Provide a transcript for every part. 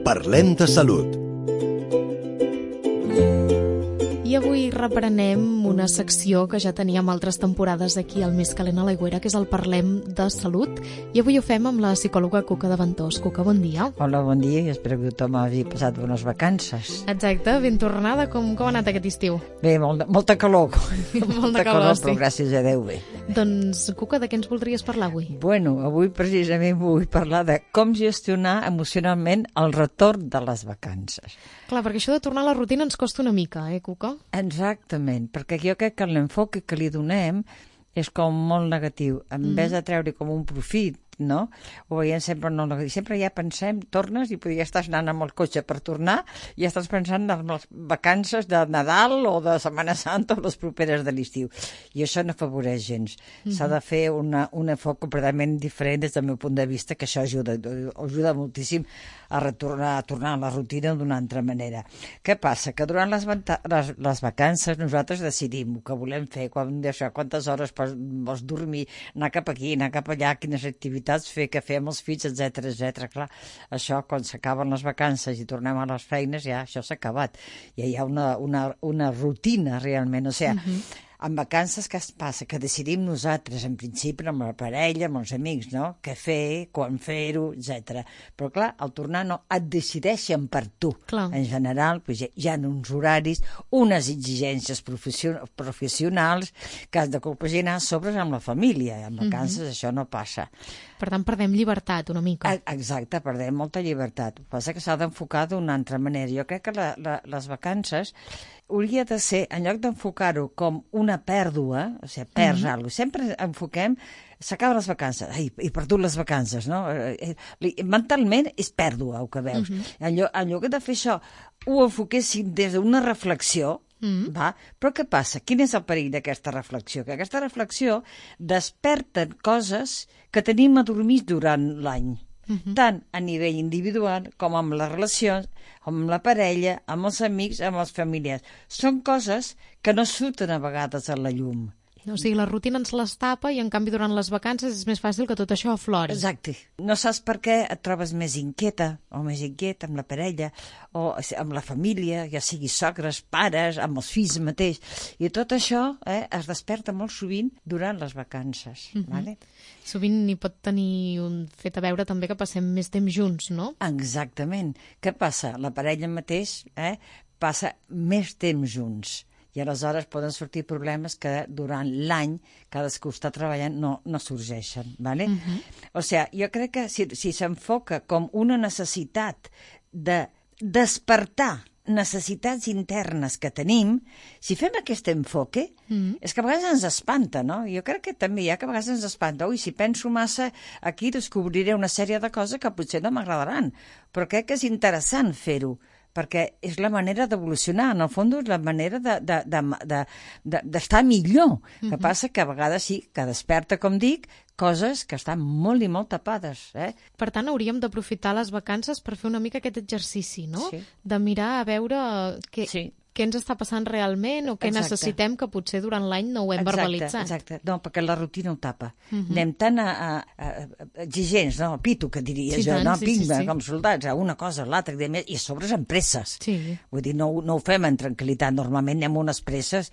Parlem de salut. I avui reprenem una secció que ja teníem altres temporades aquí al Més Calent a l'Aigüera, que és el Parlem de Salut. I avui ho fem amb la psicòloga Cuca de Ventós. Cuca, bon dia. Hola, bon dia, i espero que tothom hagi passat bones vacances. Exacte, ben tornada. Com ha anat aquest estiu? Bé, molta calor. Molta calor, sí. Però gràcies a Déu bé. Doncs, Cuca, de què ens voldries parlar avui? Bueno, avui precisament vull parlar de com gestionar emocionalment el retorn de les vacances. Clar, perquè això de tornar a la rutina ens costa una mica, Cuca? Exactament, perquè jo crec que l'enfoc que li donem és com molt negatiu. En vez de treure com un profit, no? Ho veiem sempre molt negatiu. Sempre ja pensem, tornes i ja estàs anant amb el cotxe per tornar i ja estàs pensant en les vacances de Nadal o de Setmana Santa o les properes de l'estiu. I això no afavoreix gens. S'ha de fer un enfoc completament diferent des del meu punt de vista, que això ajuda moltíssim a tornar a la rutina d'una altra manera. Què passa? Que durant les vacances nosaltres decidim el que volem fer, quantes hores vols dormir, anar cap aquí, anar cap allà, quines activitats fer, què fer amb els fills, etc. Clar, això, quan s'acaben les vacances i tornem a les feines, ja això s'ha acabat. Ja hi ha una rutina, realment. O sigui, en vacances què es passa? Que decidim nosaltres, en principi, amb la parella, amb els amics, no? Què fer, quan fer-ho, etc. Però, clar, al tornar no et decideixen per tu. Clar. En general, doncs, hi ha uns horaris, unes exigències professionals que has de compaginar sobre amb la família. En vacances això no passa. Per tant, perdem llibertat una mica. Exacte, perdem molta llibertat. El que passa que s'ha d'enfocar d'una altra manera. Jo crec que les vacances hauria de ser, en lloc d'enfocar-ho com una pèrdua, o sigui, perds alguna cosa, sempre enfoquem, s'acaben les vacances, he perdut les vacances, no? Mentalment és pèrdua, el que veus. En lloc de fer això, ho enfoquéssim des d'una reflexió, va? Però què passa? Quin és el perill d'aquesta reflexió? Que aquesta reflexió desperta coses que tenim adormits durant l'any, tant a nivell individual com amb les relacions, amb la parella, amb els amics, amb els familiars. Són coses que no surten a vegades a la llum. O sigui, la rutina ens les tapa i, en canvi, durant les vacances és més fàcil que tot això aflori. Exacte. No saps per què et trobes més inquieta o més inquiet amb la parella o amb la família, ja sigui sogres, pares, amb els fills mateix. I tot això es desperta molt sovint durant les vacances. Vale? Sovint hi pot tenir un fet a veure també que passem més temps junts, no? Exactament. Què passa? La parella mateix passa més temps junts. I aleshores poden sortir problemes que durant l'any cadascú està treballant no sorgeixen. ¿Vale? O sigui, jo crec que si s'enfoca com una necessitat de despertar necessitats internes que tenim, si fem aquest enfoque, és que a vegades ens espanta, no? Jo crec que també hi ha que a vegades ens espanta. Ui, si penso massa aquí descobriré una sèrie de coses que potser no m'agradaran, però crec que és interessant fer-ho, perquè és la manera d'evolucionar, en el fons és la manera d'estar millor. El que passa que a vegades sí, que desperta, com dic, coses que estan molt i molt tapades. Per tant, hauríem d'aprofitar les vacances per fer una mica aquest exercici, no? Sí. De mirar a veure què ens està passant realment o què necessitem que potser durant l'any no ho hem verbalitzat. Exacte. No, perquè la rutina ho tapa. Anem tan exigents, no? Pito, que diria jo, no? Pimba, com soldats, a una cosa, a l'altra, i a sobre amb presses. Sí. Vull dir, no ho fem en tranquil·litat, normalment anem unes presses.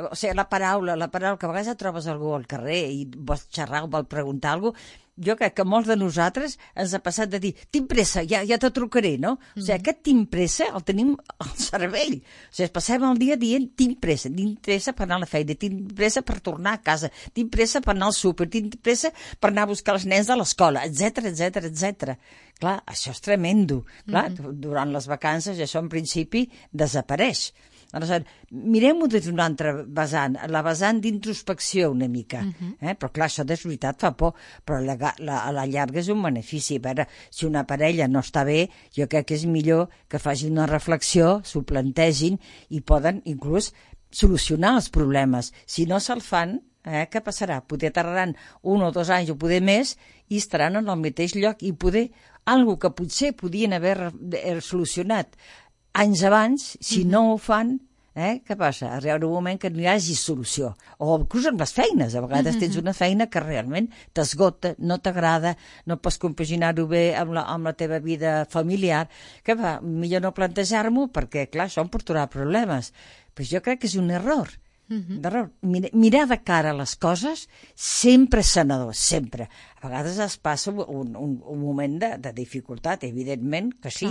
O sigui, la paraula, que a vegades et trobes algú al carrer i vols xerrar o vols preguntar alguna cosa, jo crec que molts de nosaltres ens ha passat de dir tinc pressa, ja te trucaré, no? O sigui, aquest tinc pressa el tenim al cervell. O sigui, passem el dia dient tinc pressa per anar a la feina, tinc pressa per tornar a casa, tinc pressa per anar al súper, tinc pressa per anar a buscar els nens a l'escola, etc. Clar, això és tremendo. Clar, durant les vacances això en principi desapareix. Aleshores, mirem-ho des d'una altra vessant, la vessant d'introspecció una mica. Però clar, això de veritat fa por, però a la llarga és un benefici. A veure, si una parella no està bé, jo crec que és millor que facin una reflexió, s'ho plantegin i poden inclús solucionar els problemes. Si no se'l fan, què passarà? Poder tardaran 1 o 2 anys o poder més i estaran en el mateix lloc i poder algo que potser podien haver solucionat anys abans, si no ho fan, Què passa? Arriba un moment que no hi hagi solució. O inclús amb les feines. A vegades tens una feina que realment t'esgota, no t'agrada, no pots compaginar-ho bé amb la teva vida familiar. Què fa? Millor no plantejar-m'ho perquè, clar, això em portarà problemes. Però jo crec que és un error. Mirar de cara a les coses sempre és sanador, sempre. A vegades es passa un moment de dificultat, evidentment que sí.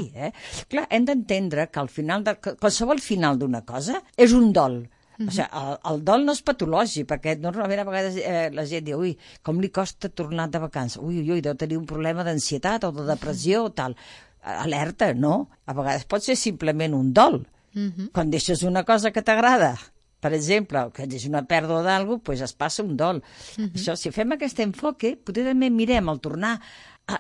Clar, hem d'entendre que al final qualsevol final d'una cosa és un dol. O sigui, el dol no és patològic, perquè normalment a vegades la gent diu, ui, com li costa tornar de vacances, ui, deu tenir un problema d'ansietat o de depressió o tal. Alerta, no. A vegades pot ser simplement un dol. Quan deixes una cosa que t'agrada, per exemple, que és una pèrdua d'alguna cosa, doncs es passa un dol. Això, si fem aquest enfoque, potser també mirem el tornar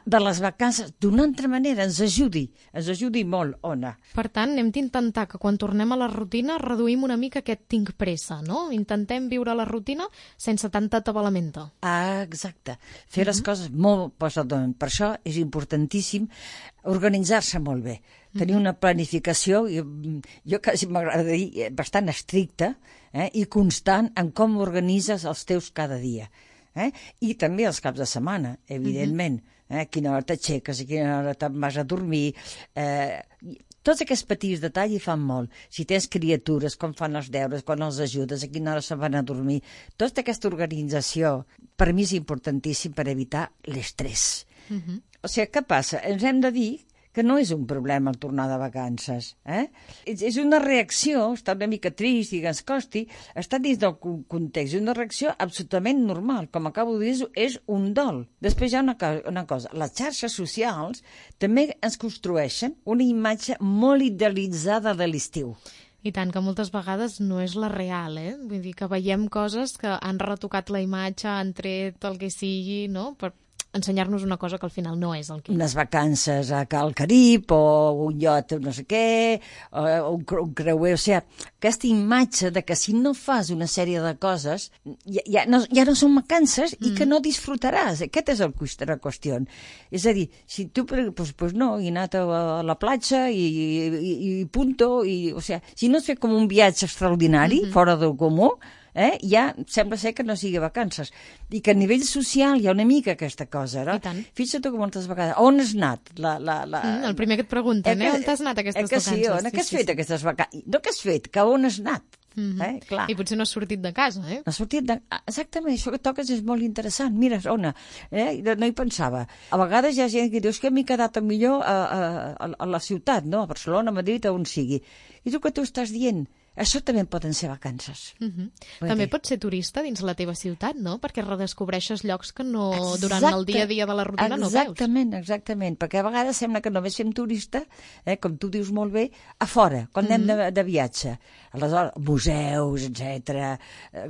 de les vacances d'una altra manera, ens ajudi molt, Ona. Per tant, hem d'intentar que quan tornem a la rutina reduïm una mica aquest tinc pressa, no? Intentem viure la rutina sense tanta atabalamenta. Exacte. Fer les coses molt posadament. Per això és importantíssim organitzar-se molt bé. Tenir una planificació, jo quasi m'agrada dir, bastant estricta i constant en com organitzes els teus cada dia. I també els caps de setmana, evidentment. A quina hora t'aixeques, a quina hora te'n vas a dormir. Tots aquests petits detalls hi fan molt. Si tens criatures, com fan els deures, quan els ajudes, a quina hora se'n van a dormir. Tota aquesta organització, per mi és importantíssim per evitar l'estrès. O sigui, què passa? Ens hem de dir que no és un problema el tornar de vacances. És una reacció, està una mica trist i que ens costi, està dins del context, és una reacció absolutament normal. Com acabo de dir, és un dol. Després hi ha una cosa, les xarxes socials també ens construeixen una imatge molt idealitzada de l'estiu. I tant, que moltes vegades no és la real, Vull dir que veiem coses que han retocat la imatge, han tret el que sigui, no?, per ensenyar-nos una cosa que al final no és el que... Unes vacances al Carib, o un iot no sé què, o un creuer, o sigui, aquesta imatge de que si no fas una sèrie de coses, ja no són vacances i que no disfrutaràs. Aquest és la qüestió. És a dir, si tu, pues no, he anat a la platja i punto, o sigui, si no has fet com un viatge extraordinari, fora del comú, ja sembla ser que no sigui vacances. I que a nivell social hi ha una mica aquesta cosa, no? Fixa't que moltes vegades... On has anat? El primer que et pregunten, on t'has anat aquestes vacances? Sí, on has fet aquestes vacances? No que has fet, que on has anat? Clar. I potser no has sortit de casa, No has sortit de... Exactament, això que toques és molt interessant. Mira, Ona, no hi pensava. A vegades hi ha gent que diu que m'he quedat millor a la ciutat, no? A Barcelona, a Madrid, on sigui. I tu què t'ho estàs dient? Això també poden ser vacances. També pots ser turista dins la teva ciutat, no? Perquè redescobreixes llocs que no durant el dia a dia de la rutina no veus. Exactament, perquè a vegades sembla que només fem turista, com tu dius molt bé, a fora, quan anem de viatge. Aleshores, museus, etc.,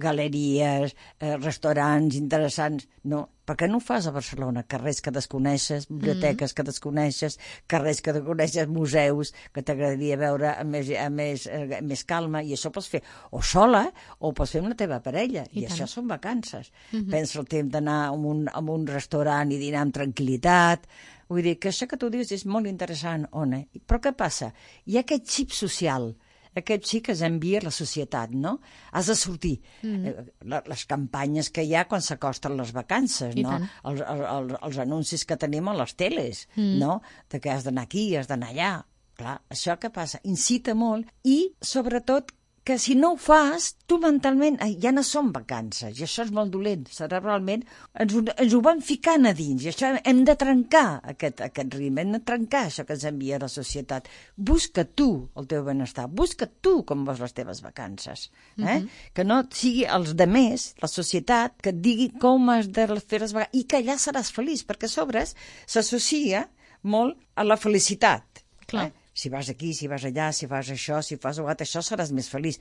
galeries, restaurants interessants... No, per què no ho fas a Barcelona? Carrers que desconeixes, biblioteques que desconeixes, carrers que desconeixes, museus que t'agradaria veure amb més calma, i això pots fer o sola o pots fer amb la teva parella, i això són vacances. Pensa el temps d'anar a un restaurant i dinar amb tranquil·litat. Vull dir que això que tu dius és molt interessant, Ona. Però què passa? Hi ha aquest xip social, aquest xic que s'envia a la societat, no? Has de sortir. Les campanyes que hi ha quan s'acosten les vacances, no? Els anuncis que tenim a les teles, no? De que has d'anar aquí, has d'anar allà. Clar, això que passa? Incita molt i, sobretot, que si no ho fas, tu mentalment ja no són vacances, i això és molt dolent. Cerebralment ens ho van ficant a dins, i això hem de trencar aquest ritme, hem de trencar això que ens envia la societat. Busca tu el teu benestar, busca tu com vols les teves vacances. Que no sigui els demés, la societat, que et digui com has de fer les vacances, i que allà seràs feliç, perquè a sobre s'associa molt a la felicitat. Clar. Si vas aquí, si vas allà, si fas això, si fas això seràs més feliç.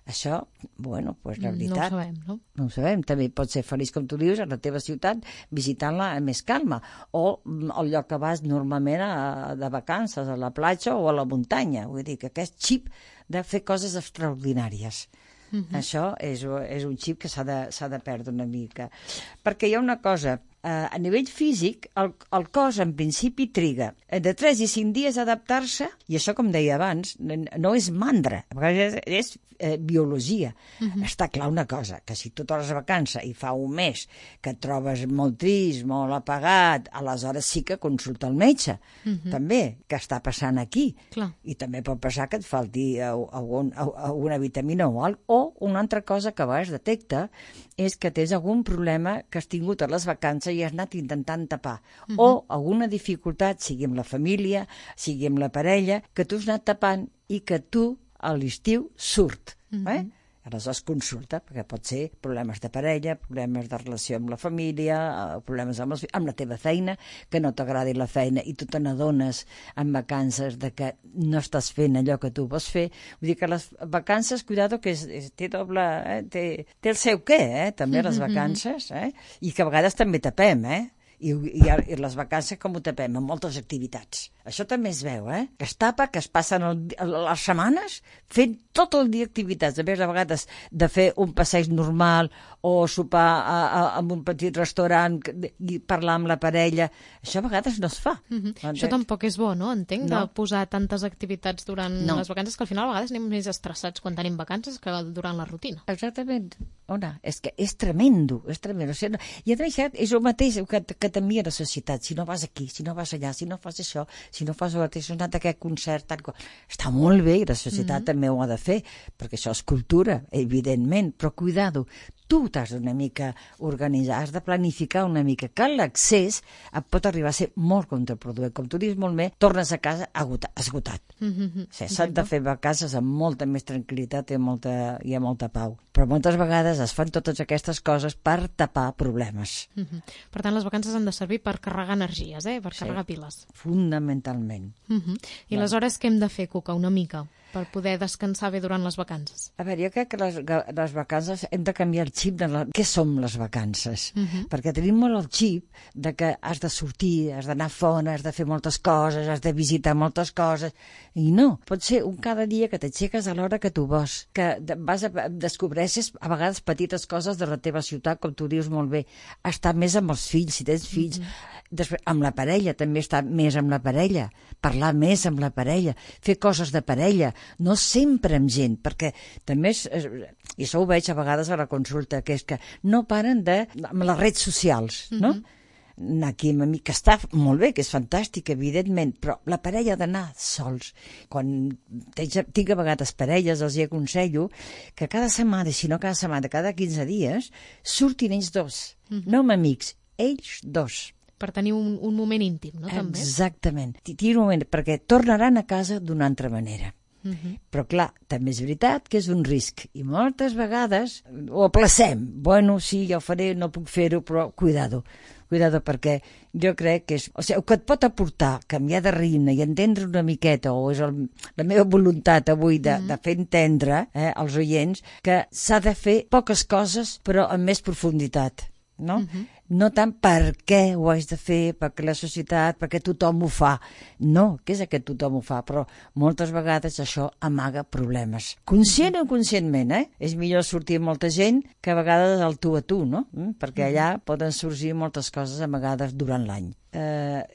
Això, bueno, doncs la veritat... No ho sabem, no? No ho sabem. També pots ser feliç, com tu dius, a la teva ciutat, visitant-la amb més calma. O al lloc que vas normalment de vacances, a la platja o a la muntanya. Vull dir que aquest xip de fer coses extraordinàries. Això és un xip que s'ha de perdre una mica. Perquè hi ha una cosa a nivell físic, el cos en principi triga de 3 i 5 dies a adaptar-se, i això, com deia abans, no és mandra, a vegades és biologia. Està clar una cosa, que si tu tornes a vacances i fa un mes que et trobes molt trist, molt apagat, aleshores sí que consulta el metge, també, que està passant aquí. Clar. I també pot passar que et falti alguna vitamina o alguna cosa. O una altra cosa que a vegades detecta és que tens algun problema que has tingut a les vacances i has anat intentant tapar. O alguna dificultat, sigui amb la família, sigui amb la parella, que tu has anat tapant i que tu a l'estiu surt. Aleshores consulta, perquè pot ser problemes de parella, problemes de relació amb la família, problemes amb la teva feina, que no t'agradi la feina i tu te n'adones en vacances de que no estàs fent allò que tu vols fer. Vull dir que les vacances, cuidado, que té doble... té el seu què, també, les vacances, i que a vegades també tapem, I les vacances com ho tapem? Amb moltes activitats. Això també es veu, que es tapa, que es passen les setmanes fent tot el dia activitats. A vegades de fer un passeig normal o sopar en un petit restaurant i parlar amb la parella. Això a vegades no es fa. Això tampoc és bo, no? Entenc, de posar tantes activitats durant les vacances, que al final a vegades anem més estressats quan tenim vacances que durant la rutina. Exactament. És que és tremendo, és tremendo. I a més és el mateix que t'envia la societat. Si no vas aquí, si no vas allà, si no fas això, si no fas si has anat a aquest concert, està molt bé, i la societat també ho ha de fer, perquè això és cultura, evidentment, però cuidado, tu t'has d'una mica organitzar, has de planificar una mica, que l'accés et pot arribar a ser molt contraproduent. Com tu dius molt bé, tornes a casa esgotat. S'han de fer vacances amb molta més tranquil·litat i amb molta pau. Però moltes vegades es fan totes aquestes coses per tapar problemes. Per tant, les vacances han de servir per carregar energies, per carregar piles. Fundamentalment. I aleshores què hem de fer, Cuca, una mica, per poder descansar bé durant les vacances? A veure, jo crec que les vacances hem de canviar el xip de què som les vacances. Perquè tenim molt el xip de que has de sortir, has d'anar fora, has de fer moltes coses, has de visitar moltes coses. I no, pot ser un cada dia que t'aixeques a l'hora que tu vols, que descobreixes a vegades petites coses de la teva ciutat, com tu dius molt bé, estar més amb els fills, si tens fills. Després, amb la parella, també estar més amb la parella, parlar més amb la parella, fer coses de parella, no sempre amb gent, perquè també i això ho veig a vegades a la consulta, que és que no paren amb les redes socials, no? Anar aquí amb amic, que està molt bé, que és fantàstic, evidentment, però la parella ha d'anar sols. Quan tinc a vegades parelles, els aconsello que cada setmana, si no cada setmana, cada 15 dies, surtin ells dos, no amb amics, ells dos. Per tenir un moment íntim, no? També. Exactament. Tira un moment, perquè tornaran a casa d'una altra manera. Però clar, també és veritat que és un risc, i moltes vegades ho aplacem. Bueno, sí, ja ho faré, no puc fer-ho, però cuidado, perquè jo crec que és... O sigui, el que et pot aportar canviar de ritme i entendre una miqueta, o és la meva voluntat avui de fer entendre als oients que s'ha de fer poques coses, però amb més profunditat, no? No tant per què ho haig de fer, perquè la societat, perquè tothom ho fa. No, què és que tothom ho fa? Però moltes vegades això amaga problemes. Conscient o inconscientment, És millor sortir amb molta gent que a vegades al tu a tu, no? Perquè allà poden sorgir moltes coses amagades durant l'any.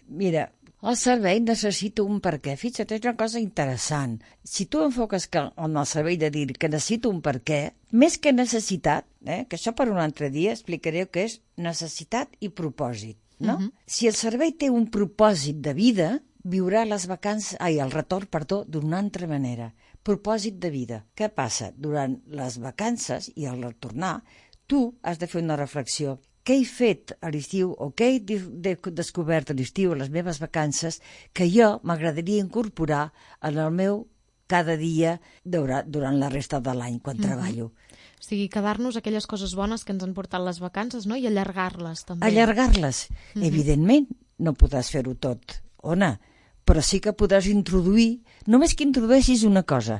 Mira, el servei necessita un per què. Fixa't, és una cosa interessant. Si tu enfoques en el servei de dir que necessito un per què, més que necessitat, que això per un altre dia explicaré què és necessitat i propòsit, no? Si el servei té un propòsit de vida, viurà el retorn, d'una altra manera. Propòsit de vida. Què passa? Durant les vacances i al retornar, tu has de fer una reflexió. Què he fet a l'estiu o què he descobert a l'estiu, a les meves vacances, que jo m'agradaria incorporar en el meu cada dia durant la resta de l'any, quan treballo. O sigui, quedar-nos aquelles coses bones que ens han portat les vacances, no? I allargar-les, també. Allargar-les. Evidentment, no podràs fer-ho tot, Ona, però sí que podràs introduir, només que introdueixis una cosa,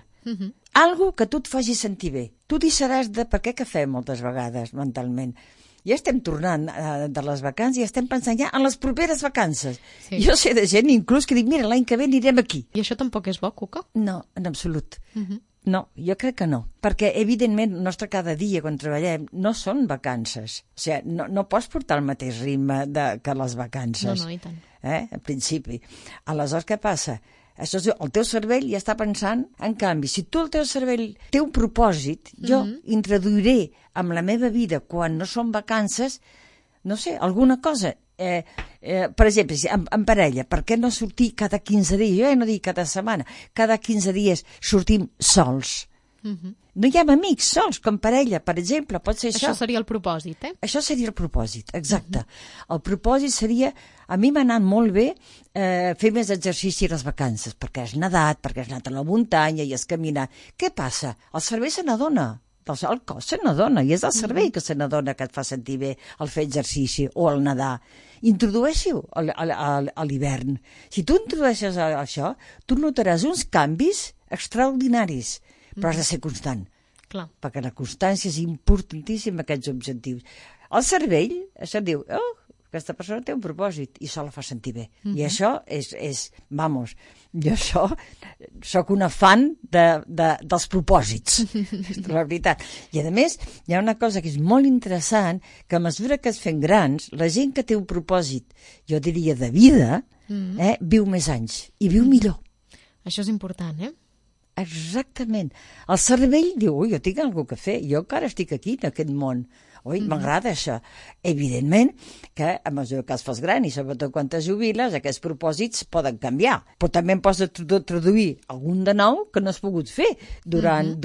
algo que tu et faci sentir bé. Tu deixaràs de... Per què que fem moltes vegades mentalment? Ja estem tornant de les vacances i estem pensant ja en les properes vacances. Sí. Jo sé de gent inclús que dic, mira, l'any que ve anirem aquí. I això tampoc és bo, Cuca? No, en absolut. No, jo crec que no. Perquè, evidentment, el nostre cada dia, quan treballem, no són vacances. O sigui, no pots portar el mateix ritme que les vacances. No, i tant. En principi. Aleshores, què passa? Això, el teu cervell ja està pensant, en canvi, si tu el teu cervell té un propòsit, jo introduiré en la meva vida, quan no són vacances, no sé, alguna cosa. Per exemple, en parella, per què no sortir cada 15 dies? Jo ja no dic cada setmana, cada 15 dies sortim sols. No hi ha amics sols, com parella, per exemple, pot ser això. Això seria el propòsit, Això seria el propòsit, exacte. El propòsit seria, a mi m'ha anat molt bé fer més exercici a les vacances, perquè has nedat, perquè has anat a la muntanya i has caminat. Què passa? El cervell se n'adona. El cos se n'adona, i és el cervell que se n'adona que et fa sentir bé el fer exercici o el nedar. Introdueixi-ho a l'hivern. Si tu introdueixes això, tu notaràs uns canvis extraordinaris, però has de ser constant. Clar. Perquè la constància és importantíssima, aquests objectius. El cervell se'n diu, aquesta persona té un propòsit i això la fa sentir bé. I això vamos, jo soc una fan dels propòsits, la veritat. I a més, hi ha una cosa que és molt interessant, que a mesura que es fem grans, la gent que té un propòsit, jo diria de vida, viu més anys i viu millor. Això és important, Exactament. El cervell diu, ui, jo tinc alguna cosa a fer, jo encara estic aquí, en aquest món. Ui, m'agrada això. Evidentment que a mesura que es fas gran i sobretot quan te jubiles, aquests propòsits poden canviar. Però també en pots traduir algun de nou que no has pogut fer durant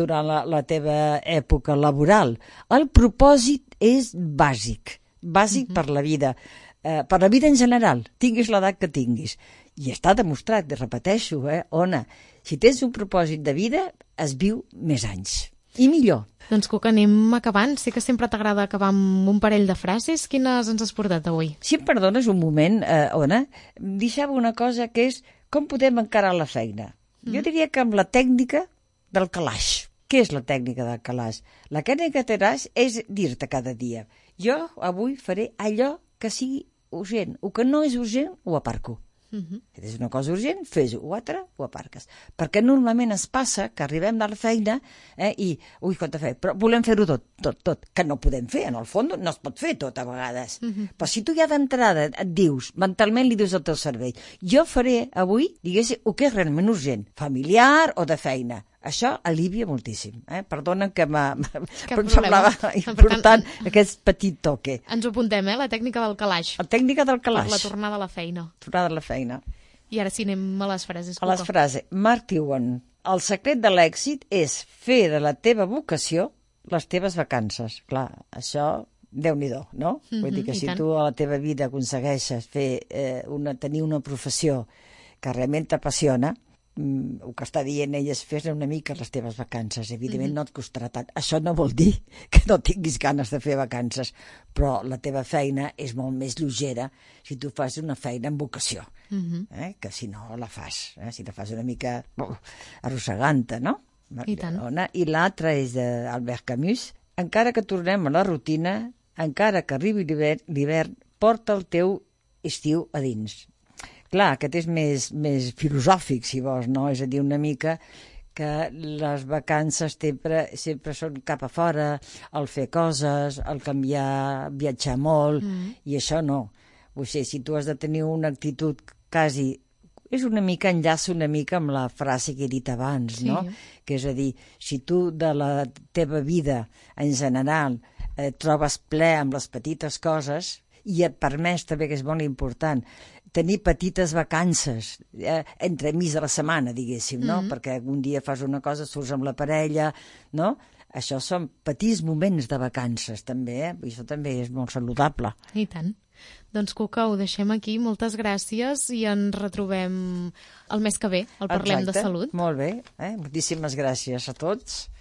la teva època laboral. El propòsit és bàsic per la vida. Per la vida en general, tinguis l'edat que tinguis. I està demostrat, repeteixo, Ona, si tens un propòsit de vida, es viu més anys. I millor. Doncs, Cuca, anem acabant. Sé que sempre t'agrada acabar amb un parell de frases. Quines ens has portat avui? Si em perdones un moment, Ona, deixava una cosa que és com podem encarar la feina. Jo diria que amb la tècnica del calaix. Què és la tècnica del calaix? La tècnica del calaix és dir-te cada dia, jo avui faré allò que sigui urgent. El que no és urgent, ho aparco. Si és una cosa urgent, fes-ho, o altra, ho aparques. Perquè normalment es passa que arribem a la feina i, ui, quanta feina, però volem fer-ho tot, que no podem fer, en el fons no es pot fer tot a vegades. Però si tu ja d'entrada et dius, mentalment li dius al teu cervell, jo faré avui, diguéssim, el que és realment urgent, familiar o de feina. Això alivia moltíssim. Perdona que em semblava important aquest petit toque. Ens ho apuntem, la tècnica del calaix. La tècnica del calaix. Per la tornada a la feina. Tornada a la feina. I ara sí, anem a les frases. A les frases. Mark Twain. El secret de l'èxit és fer de la teva vocació les teves vacances. Clar, això, Déu-n'hi-do, no? Vull dir que si tu a la teva vida aconsegueixes tenir una professió que realment t'apassiona, el que està dient ell és fer una mica les teves vacances. Evidentment no et costarà tant. Això no vol dir que no tinguis ganes de fer vacances, però la teva feina és molt més lleugera si tu fas una feina amb vocació, que si no la fas, si la fas una mica arrossegant-te, no? I tant. I l'altra és d'Albert Camus. Encara que tornem a la rutina, encara que arribi l'hivern, porta el teu estiu a dins. Clar, aquest és més filosòfic, si vols, no? És a dir, una mica que les vacances sempre són cap a fora, el fer coses, el canviar, viatjar molt, i això no. O sigui, si tu has de tenir una actitud quasi... És una mica, enllaça una mica amb la frase que he dit abans, no? Que és a dir, si tu de la teva vida, en general, trobes ple amb les petites coses, i et permès també, que és molt important, tenir petites vacances entremig de la setmana, diguéssim, no? Perquè un dia fas una cosa, surts amb la parella, no? Això són petits moments de vacances, també, I això també és molt saludable. I tant. Doncs, Cuca, ho deixem aquí. Moltes gràcies i ens retrobem el mes que ve. El Parlem de Salut. Molt bé. Moltíssimes gràcies a tots.